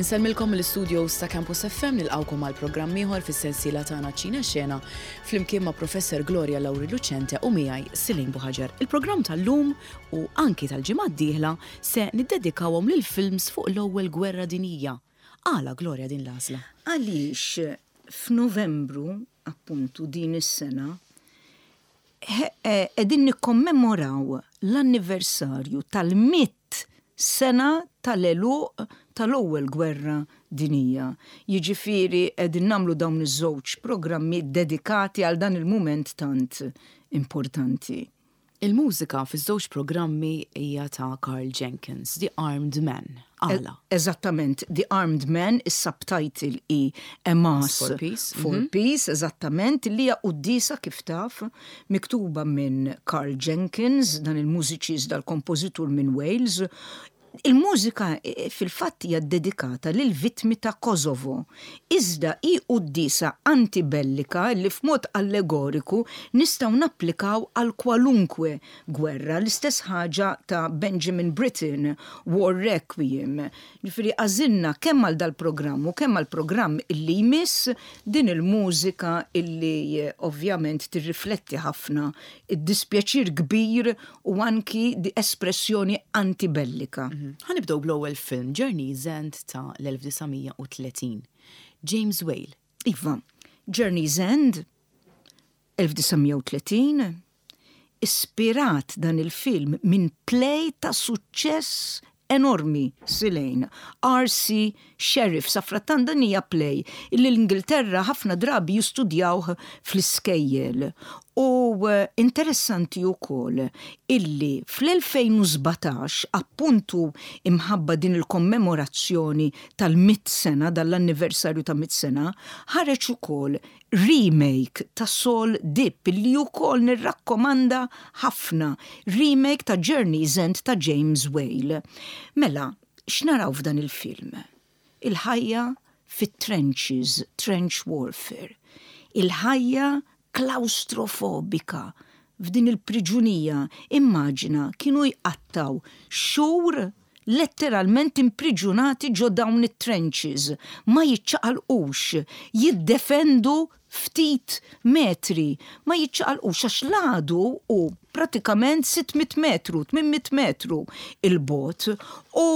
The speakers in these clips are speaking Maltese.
Insellmilkom mill-istudios ta' Campus FM nilqgħukom għal programm ieħor fis-sensiela tagħna Ċina Xena flimkien ma' Professor Gloria Lauri Lucente u miegħi Silin Buħaġar. Il-programm tal-lum u anki tal-ġimgħa d-dieħla se niddedikawhom lil films fuq l-ewwel gwerra dinjija. Għala Gloria din l-għażla? Għaliex f'Novembru, appuntu din is-sena, qegħdin nikkommemoraw l-anniversarju tal-mitt sena tal-għeluq tal-Ewwel Gwerra Dinjija. Jiġifieri qegħdin nagħmlu dawn iż-żewġ programmi ddedikati għal dan il-mument tant importanti. Il-mużika fiż-żewġ programmi hija ta' Karl Jenkins, The Armed Man. Għala? Eżattament, The Armed Man, is-subtitle hi A Mass for Peace, for Peace, eżattament, li hija quddiesa kif taf, miktuba minn Karl Jenkins, dan il-mużiċist, dal-kompożitur minn Wales. Il-mużika fil-fatt hija ddedikata lill-vittmi ta' Kosovo, iżda hi quddiesa antibellika li f'mod allegoriku nistgħu napplikaw għal kwalunkwe gwerra, l-istess ħaġa ta' Benjamin Britten, War Requiem. Ġifieri għażilna kemm għal dal-programm u kemm għall-programm illi jmiss din il-mużika illi ovvjament tirrifletti ħafna d-dispjaċir kbir u anki di espressjoni antibellika. Ħa nibdew bl-ewwel film, Journey's End ta' l-1930. James Whale. Iva, Journey's End, 1930, ispirat dan il-film minn play ta' suċċess enormi Silane, RC Sheriff, safrattant dan hija play illi l-Ingilterra ħafna drabi jistudjawh fl-iskejjel. U interessanti wkoll illi fl-2017, appuntu imħabba din il-kommemorazzjoni tal-mitt sena, dan l-anniversarju ta' mitt sena, ħareġ ukoll remake ta' Saul Dibb li wkoll nirrakkomanda ħafna, remake ta' Journey's End ta' James Whale. Mela, x'naraw f'dan il-film? Il-ħajja fit-trenches, trench warfare. Il-ħajja klawstrofobika f'din il-priġunija, immaġina kienu jqattgħu xhur letteralment impriġunati ġo dawn it-trenches, ma jiċċaqalqux, jiddefendu ftit metri, ma jiċċaqalqux għax l-għadu hu pratikament 600 metru, 800 metru 'il bogħod u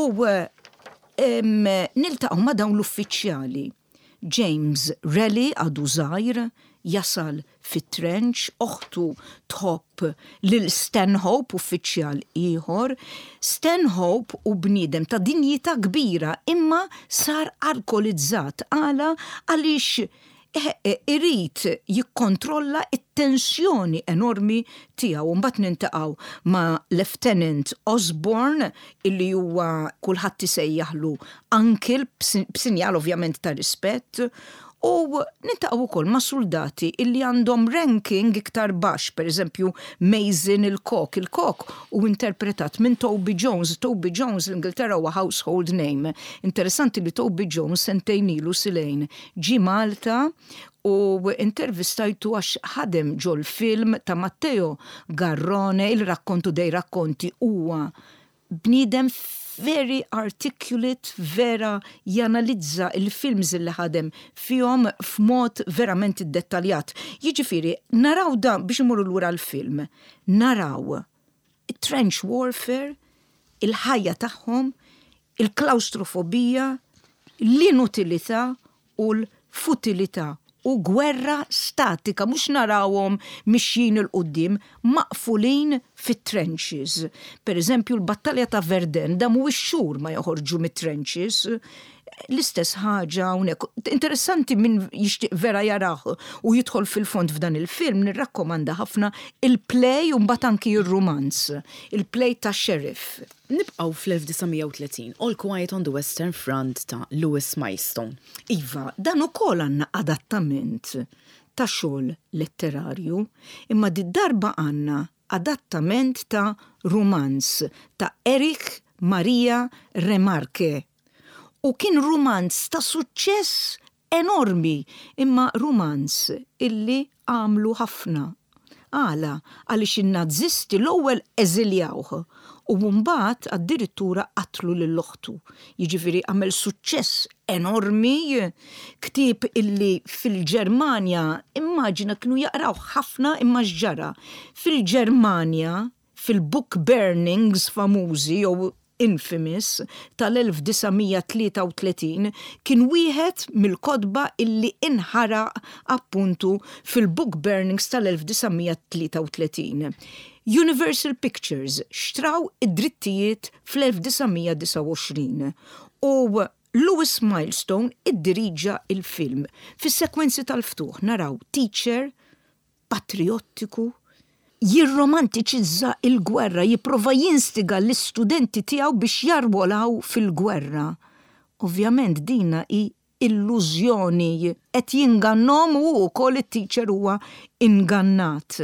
niltaqgħu ma' dawn l-uffiċjali. James Raleigh għadu żgħir, jasal fit-trench, oħtu tħobb lil Stanhope, uffiċjal ieħor. Stanhope hu bniedem ta' dinjità kbira imma sar alkolizzat. Għala? Għaliex irid jikkontrolla t-tensjoni enormi tiegħu. Mbagħad niltaqgħu ma' Lieutenant Osborne illi huwa kulħadd isejjaħlu uncle b'sinjal ovvjament ta' rispett, u niltaqgħu wkoll ma' suldati illi għandhom ranking iktar baxx, pereżempju Mason il-kok. Il-kok hu interpretat minn Toby Jones. Toby Jones l-Ingilterra huwa household name. Interessanti li Toby Jones sentejn ilu Silejn ġie Malta u intervistajtu għax ħadem ġol-film ta' Matteo Garrone, il-rakkontu dei racconti huwa bniedem very articulate, vera janalizza il-films li ħadem fihom f'mod verament iddettaljat. Jiġifieri, naraw dan, biex imorru lura l-film, naraw it-trench warfare, il-ħajja tagħhom, il-klawstrofobija, l-inutilità u l-futilità u gwerra statika, mhux narawhom mixjin 'il quddiem, maqfulin fit-trenches. Per eżempju, l-battalja ta' Verdun damu x-xhur ma joħorġu mit-trenches. L-istess ħaġa hawnhekk. Interessanti min jixtieq vera jarah u jidħol fil-fond f'dan il-film, nirrakkomanda ħafna il-play u mbagħad anki r-rumanz, il-play ta' Sheriff. Nibqgħu fl-1930, All Quiet on the Western Front ta' Louis Milestone. Iva, dan ukoll għandna adattament ta' xogħol letterarju, imma did-darba għandna adattament ta' rumanz ta' Erich Maria Remarque. U kien rumanz ta' suċċess enormi, imma rumanz illi għamlu ħafna. Għala? Għaliex in-Nazisti l-ewwel eżiljawh U mbagħad addirittura qatlu lil oħtu. Jiġifieri għamel suċċess enormi, ktieb illi fil-Ġermanja immaġina kienu jaqrawh ħafna imma x'ġara? Fil-Ġermanja fil-book burnings famużi jew infamous tal-1933 kien wieħed mill-kotba illi inħaraq appuntu fil-book burnings tal-1933. Universal Pictures xtraw id-drittijiet fl-1929 u Lewis Milestone iddiriġa l-film. Fis-sekwenzi tal-ftuħ naraw teacher patrijottiku, jirromantiċizza l-gwerra, jipprova jinstiga l-istudenti tiegħu biex jarwolaw fil-gwerra. Ovvjament dina hi illużjoni, qed jingannhom u hu wkoll it-teacher huwa ingannat.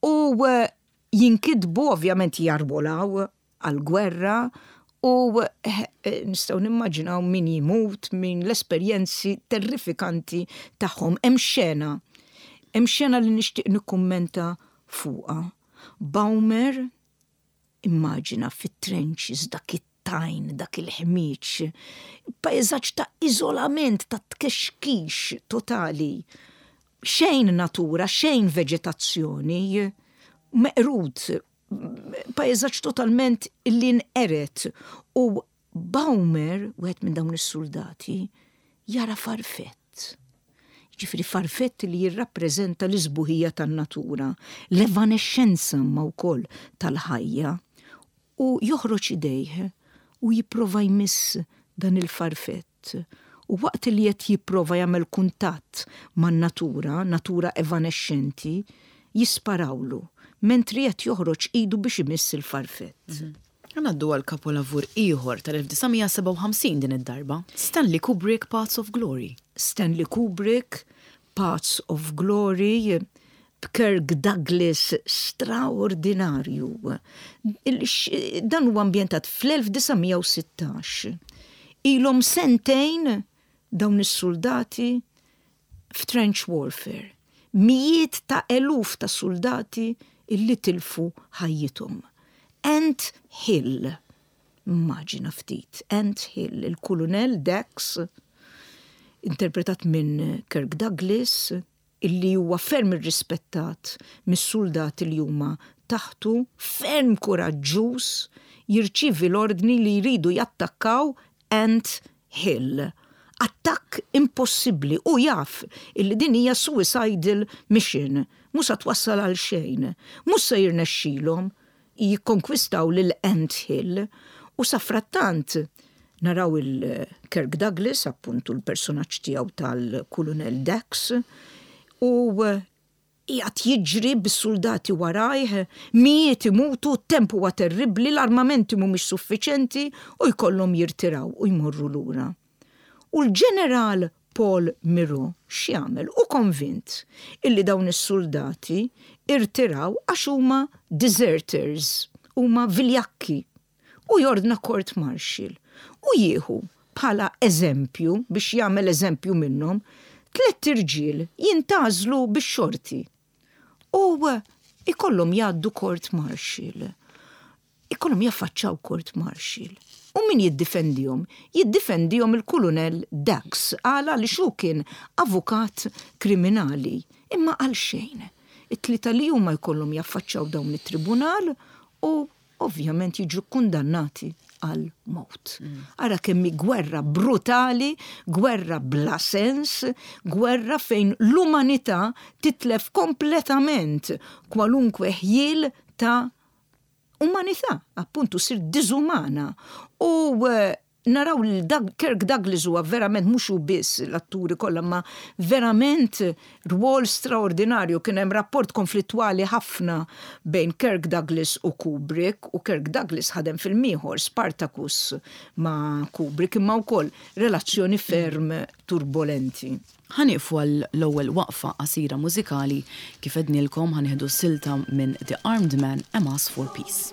U jinkitbu ovvjament jarwolaw għall-gwerra u nistgħu nimmaġinaw min jmut, min l-esperjenzi terrifikanti tagħhom. Hemm xena, hemm xena li nixtieq nikkummenta fuqha. Baumer immaġina fit-trenches dak it-tajn, dak il-ħmieġ, pajżaġġ ta' iżolament, ta' tkexkix totali. Xejn natura, xejn veġetazzjoni, meqrud pajżaġġ totalment li nqered u Baumer, wieħed minn dawn is-suldati, jara farfett. Jiġifieri farfett li jirrappreżenta l-isbuħija tan-natura, l-evanexxenza imma wkoll tal-ħajja. U joħroġ idejh u jipprova jmiss dan il-farfett. U waqt li qed jipprova jagħmel kuntatt man-natura, natura evanexxenti, jisparawlu, mentri qed joħroġ idu biex imiss il-farfett. Ħa ngħaddu għal kapolavur ieħor tal-1957 din id-darba, Stanley Kubrick Paths of Glory. Stanley Kubrick, Paths of Glory, b'Kirk Douglas straordinarju. Dan huwa ambjentat fl-1916. Ilhom sentejn dawn is-suldati f'trench warfare. Mijiet ta' eluf ta' suldati illi tilfu ħajjithom. Ant Hill, immaġina ftit, Ant Hill, il-Kulunell Dax, interpretat minn Kirk Douglas, illi huwa ferm irrispettat mis-suldati li huma taħtu, ferm kuraġġuż, jirċievi l-ordni li jridu jattakkaw Ant Hill. Attakk impossibbli, hu jaf illi din hija suicidal mission, mhux sa twassal għal xejn, mhux se jirnexxilhom jikkonkwistaw lil Ant Hill u safrattant naraw il Kirk Douglas, appuntu l-personaġġ tiegħu tal-Kulunell Dax, u qiegħed jiġri bis-suldati warajh, mijiet imutu, t-temp huwa terribbli, l-armamenti mhumiex suffiċenti u jkollhom jirtiraw u jmorru lura. U l-Ġeneral Paul Miro x'jagħmel? Hu konvint illi dawn is-suldati irtiraw għax huma deserters, huma viljakki. U jordna court martial u jieħu bħala eżempju, biex jagħmel eżempju minnhom, tlett irġiel jintgħażlu bix-xorti u jkollhom jgħaddu court martial. Ikollhom jaffaċċaw court martial. U min jiddifendihom? Jiddifendihom il-Kulunell Dax. Għala? Għaliex hu kien avukat kriminali. Imma għalxejn. It-tlieta li huma jkollhom jaffaċċaw dawn it-tribunal u ovvjament jiġu kkundannati għal mewt. Ara kemm hi gwerra brutali, gwerra bla sens, gwerra fejn l-umanità titlef kompletament kwalunkwe ħjiel ta' umanità, appuntu ssir diżumana. U eh, naraw li Kirk Douglas huwa verament mhux hu biss l-atturi kollha ma verament rwol straordinarju kien hemm rapport konflittwali ħafna bejn Kirk Douglas u Kubrick u Kirk Douglas ħadem film ieħor Spartacus ma' Kubrick imma wkoll relazzjoni ferm turbolenti. Ħa nieqfu għal l-ewwel waqfa qasira mużikali, kif għednielkom ħa nieħdu silta minn The Armed Man, A Mass for Peace.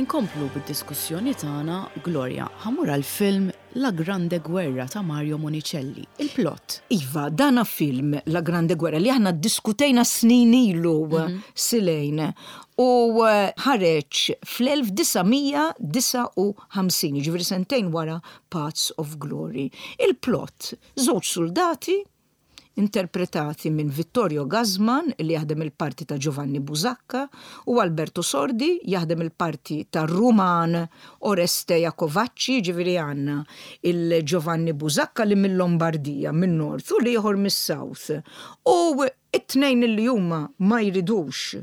Inkomplu bid-diskussjoni tagħna, Gloria, ħa mmur għall-film La Grande Guerra ta' Mario Monicelli. Il-plot. Iva, dana film La Grande Guerra li aħna ddiskutejna snin ilu silejn u ħareġ fl-1959, jiġifieri sentejn wara Paths of Glory. Il-plot, żewġ suldati interpretati minn Vittorio Gassman li jaħdem il-parti ta' Giovanni Busacca u Alberto Sordi jaħdem il-parti ta' Ruman Oreste Jacovacci, jiġifieri għandna il-Giovanni Busacca li mill-Lombardija, min-North u l-ieħor mis-South. U it-tnejn li huma ma jridux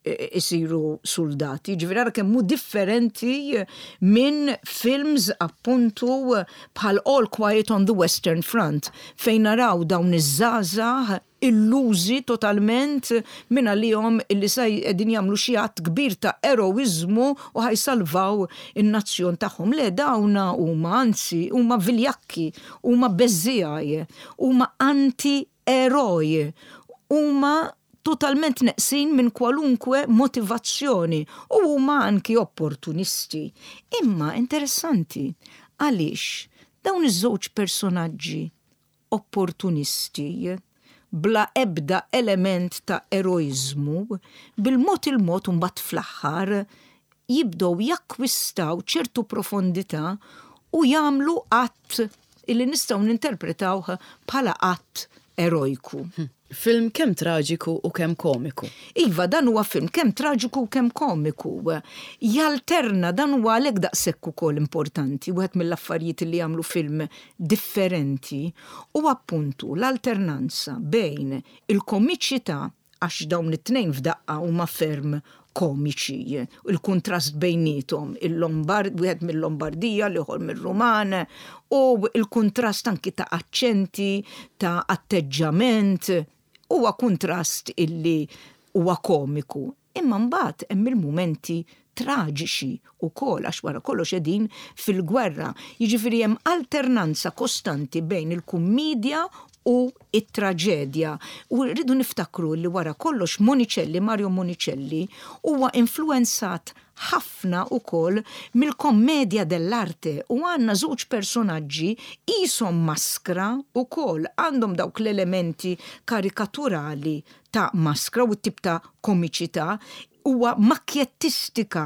isiru suldati, jiġifieri ara kemm hu differenti minn films appuntu bħal All Quiet on the Western Front fejn naraw dawn iż-żgħażagħ illużi totalment minn għalihom illi sa qegħdin jagħmlu xi att kbir ta' eroiżmu u ħa jsalvaw in-nazzjon tagħhom. Le dawna huma anzi huma viljakki, huma beżżiegħi, huma anti eroj huma totalment neqsin minn kwalunkwe motivazzjoni u huma anki opportunisti. Imma interessanti għaliex dawn iż-żewġ personaġġi opportunisti bla ebda element ta' eroiżmu, bil-mod il-mod u mbagħad fl-aħħar jibdew jakkwistaw ċertu profondità u jagħmlu att illi nistgħu ninterpretawh bħala att erojku. Film kemm traġiku u kemm komiku. Iva, dan huwa film kemm traġiku u kemm komiku. Jalterna, dan huwa għalhekk daqshekk ukoll importanti, wieħed mill-affarijiet li jagħmlu film differenti hu appuntu l-alternanza bejn il-komiċità għax dawn it-tnejn f'daqqa huma ferm komiċi, il-kuntrast bejniethom, il-Lombard, wieħed mill-Lombardija, l-ieħor mir-Ruman, u l-kuntrast anki ta' aċċenti, ta' atteġġament, huwa kuntrast illi huwa komiku. Imma mbagħad hemm il-mumenti traġiċi wkoll għax wara kollox qegħdin fil-gwerra. Jiġifieri hemm alternanza kostanti bejn il-kummiedja u t-traġedja. U rridu niftakru li wara kollox Monicelli, Mario Monicelli, huwa influwenzat ħafna wkoll mill-commedia dell'arte u għandna żewġ personaġġi qishom maskra wkoll, għandhom dawk l-elementi karikaturali ta' maskra u t-tip ta' komiċità huwa makkjettistika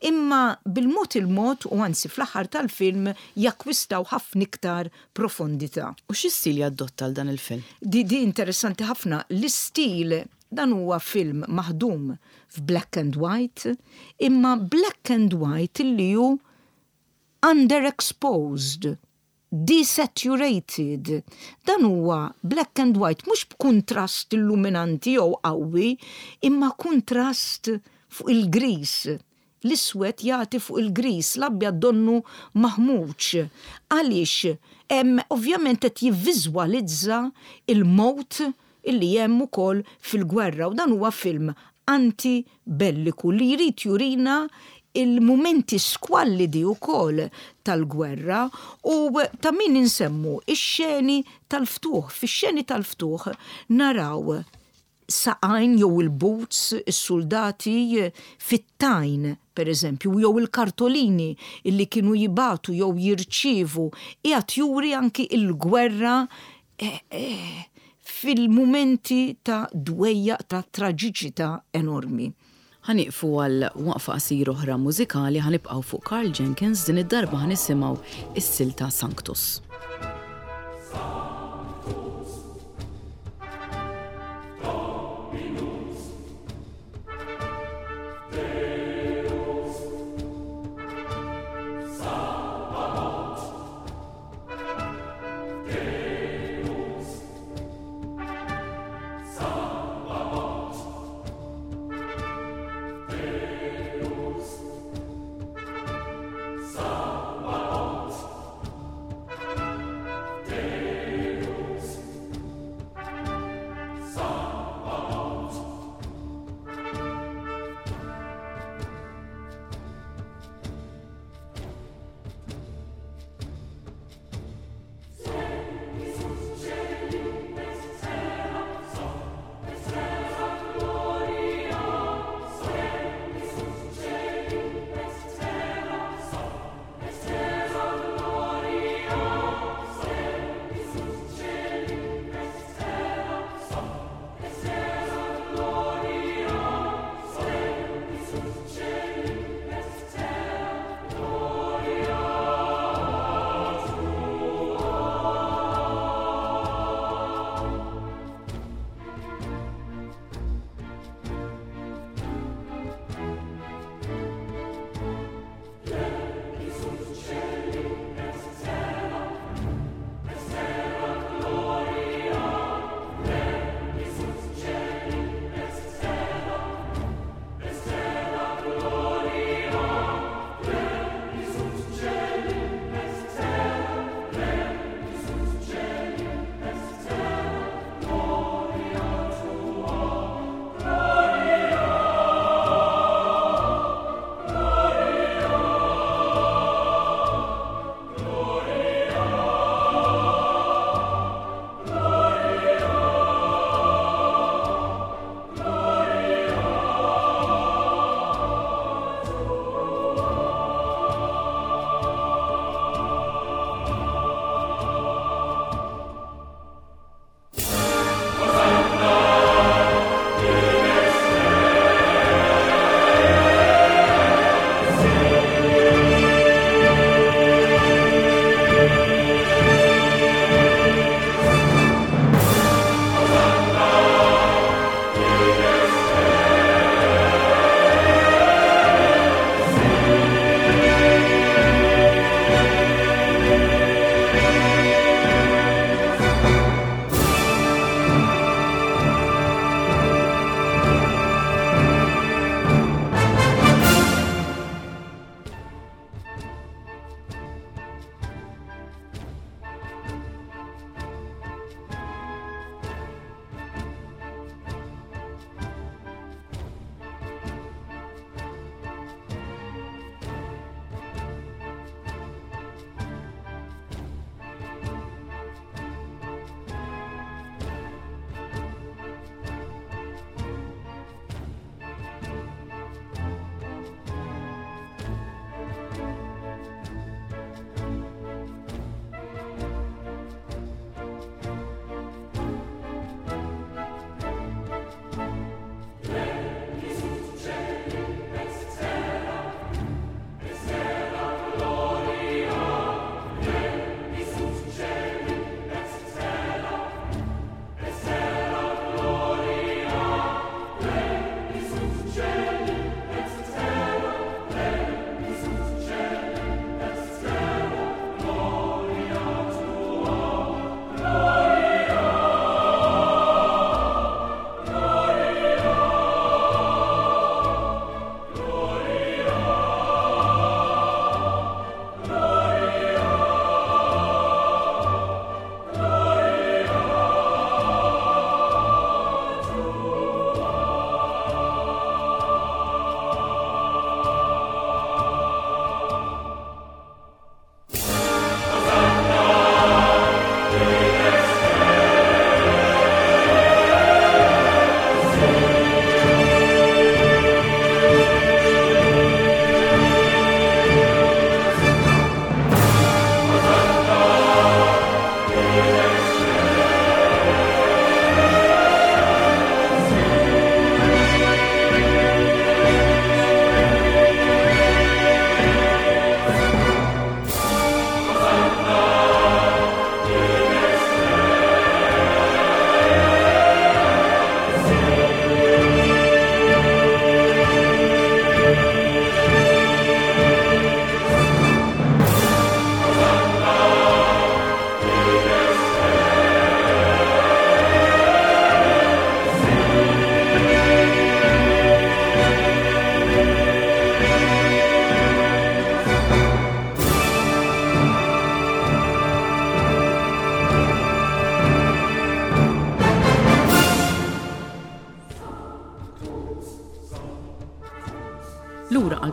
imma bil-mod il-mod u anzi fl-aħħar tal-film jakkwistaw ħafna iktar profondità. U xi stil jaddotta għal dan il-film? Di di interessanti ħafna. L-istil, dan huwa film maħdum f'black and white, imma black and white illi hu underexposed. Desaturated. Dan huwa black and white mhux b'kuntrast illuminanti jew qawwi, imma kuntrast fuq il-griż. L-iswed jagħti fuq il-griż, l-abjad donnu maħmuġ. Għaliex? Hemm ovvjament qed jivviżwalizza l-mewt illi hemm ukoll fil-gwerra u dan huwa film anti-belliku li jrid jurina il-mumenti skwallidi wkoll tal-gwerra u ta' min insemmu x-xeni tal-ftuħ. Fix-xeni tal-ftuħ naraw saqajn jew il-boots, is-suldati fit-tajn, per eżempju, jew il-kartolini illi kienu jibagħtu jew jirċievu, qiegħed juri anki l-gwerra fil-mumenti ta' dwejjaq ta' traġiċità enormi. Ħa nieqfu għal waqfa qasira oħra mużikali, ħa nibqgħu fuq Karl Jenkins, din id-darba ħa nisimgħu s-silta Sanctus.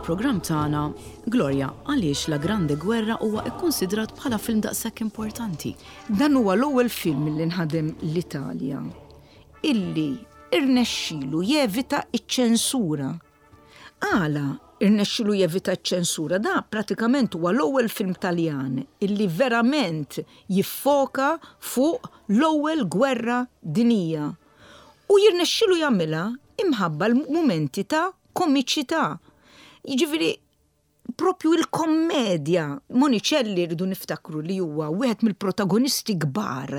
il-programm tagħna, Gloria, għaliex La Grande Guerra huwa kkunsidrat bħala film daqshekk importanti? Dan huwa l-ewwel film li nħadem l-Italja illi irnexxilu jevita ċ-ċensura. Għala irnexxilu jevita ċ-ċensura? Da pratikament huwa l-ewwel film Taljan illi verament jiffoka fuq l-ewwel gwerra dinija. U jirnexxilu jagħmilha imħabba l-mumenti ta' komiċità. Jiġifieri propju il-kommedja. Monicelli rridu niftakru li huwa wieħed mill-protagonisti kbar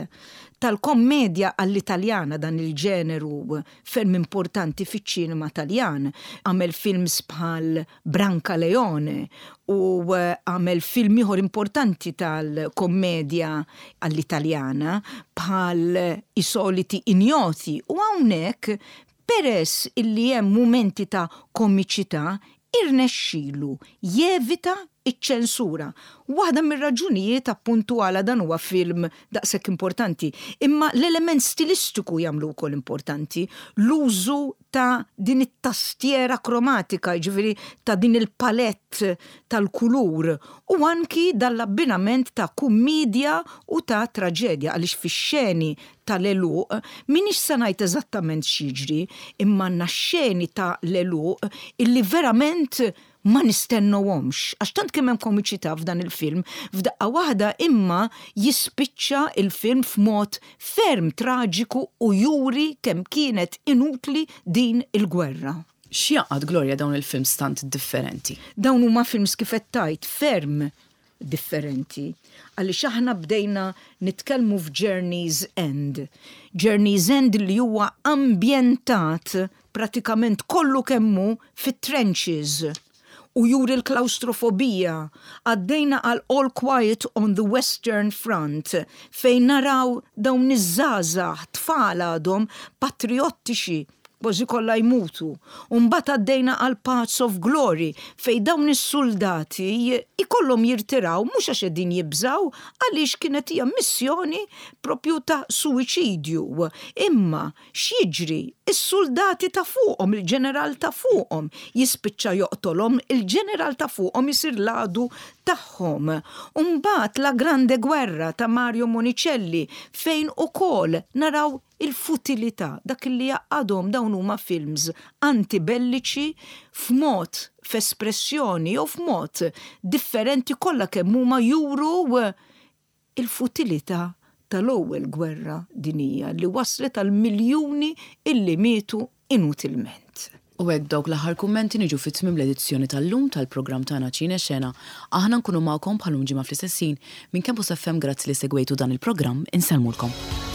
tal-kommedja għall-Italjana dan il-ġeneru ferm importanti fiċ-ċinema Taljan. Għamel films bħal Brancaleone u għamel film ieħor importanti tal-kommedja għall-Italjana bħal I soliti ignoti u hawnhekk peress illi hemm mumenti ta' komiċità irnexxilu jevita ċ-ċensura. Waħda mir-raġunijiet appuntu għala dan huwa film daqshekk importanti. Imma l-element stilistiku jagħmlu wkoll importanti. L-użu ta' din it-tastiera kromatika, jiġifieri ta' din il-palette tal-kulur u anki dan l-abbinament ta' kummidja u ta' traġedja għaliex fix-xeni tal-għeluq, m'iniex se ngħid eżattament x'jiġri, imma għandna xeni ta' l-għeluq illi verament ma nistennewhomx, għax tant kemm hemm komiċità f'dan il-film, f'daqqa waħda imma jispiċċa il-film f'mod ferm traġiku u juri kemm kienet inutli din il-gwerra. X'jgħaqqad, Gloria, dawn il-films tant differenti? Dawn huma films kif qed tgħid ferm differenti. Għaliex aħna bdejna nitkellmu f'Journey's End. Journey's End li huwa ambjentat pratikament kollu kemm hu fit-trenches u juri l-klaustrofobija. Għaddejna għal All Quiet on the Western Front fejn naraw dawn iż-żgħażagħ tfal għadhom patriottiċi kważi kollha jmutu. U mbagħad għaddejna għal Paths of Glory fejn dawn is-suldati ikollhom jirtiraw mhux għax qegħdin jibżgħu għaliex kienet hija missjoni propju ta' suwiċidju. Imma x'jiġri? Is-suldati ta' fuqhom, il-ġeneral ta' fuqhom jispiċċa joqtolhom, il-ġeneral ta' fuqhom isir l-għadu tagħhom. U mbagħad La Grande Guerra ta' Mario Monicelli fejn ukoll naraw il-futilità, dak li jgħaqqadhom dawn huma films antibelliċi f'mod, f'espressjoni jew f'mod differenti kollha kemm huma juru il-futilità tal-ewwel gwerra dinjija li waslet għal miljuni illi mietu inutilment. U hekk b'dawk l-aħħar kummenti niġu fi tmiem l-edizzjoni tal-lum tal-programm tagħna Ċine Xena. Aħna nkunu magħkom bħal lum ġimgħa fl-istess ħin minn Campus FM grazzi li segwejtu dan il-programm insellmulkom.